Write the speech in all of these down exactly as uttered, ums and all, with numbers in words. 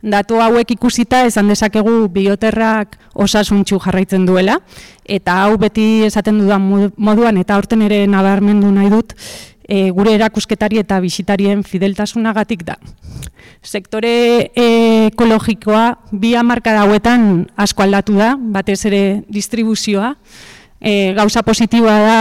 Datu hauek ikusita esan dezakegu bioterrak osasuntsu jarraitzen duela, eta hau beti esaten dudan moduan, eta aurten ere nabarmendu nahi dut, e, gure erakusketari eta bisitarien fideltasunagatik da. Sektore ekologikoa bi hamarkada hauetan asko aldatu da, batez ere distribuzioa. E, gauza positiboa da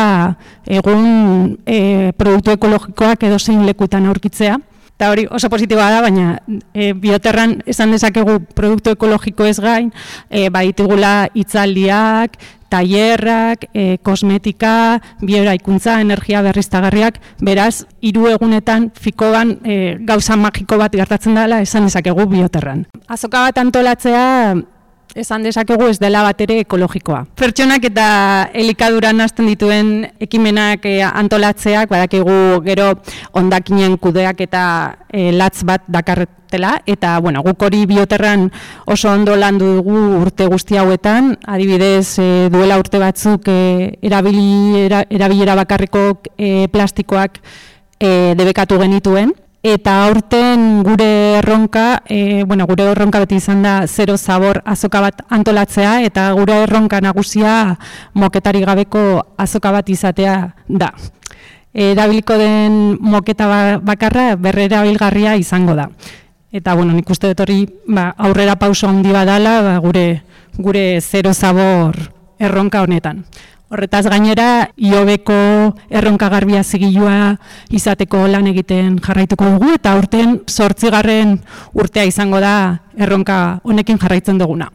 egun e, produktu ekologikoak edozein lekutan aurkitzea. Eta hori oso positiboa da, baina e, bioterran esan dezakegu produktu ekologiko ez gain, e, baditugula hitzaldiak, tailerrak, e, kosmetika, bioeraikuntza, energia berriztagarriak, beraz, hiru egunetan fikoan e, gauza magiko bat gertatzen dela esan dezakegu bioterran. Azoka bat antolatzea esan dezakegu ez dela bat ere ekologikoa. Pertsonak eta elikaduran hasten dituen ekimenak e, antolatzeak, badakigu gero hondakinen kudeak eta e, latz bat dakartela, eta bueno, guk hori bioterran oso ondo landu dugu urte guzti hauetan, adibidez e, duela urte batzuk e, erabili, era, erabilera bakarriko e, plastikoak e, debekatu genituen. Eta aurten gure erronka, e, bueno, gure erronka beti izan da zero zabor azoka bat antolatzea, eta gure erronka nagusia moketari gabeko azoka bat izatea da. Erabiliko den moketa bakarra berrerabilgarria izango da. Eta bueno, nik uste dut hori ba, aurrera pauso handi badala ba, gure, gure zero zabor erronka honetan. Horretaz gainera, iobeko erronka garbia zigilua izateko lan egiten jarraituko dugu, eta aurten zortzigarren urtea izango da erronka honekin jarraitzen duguna.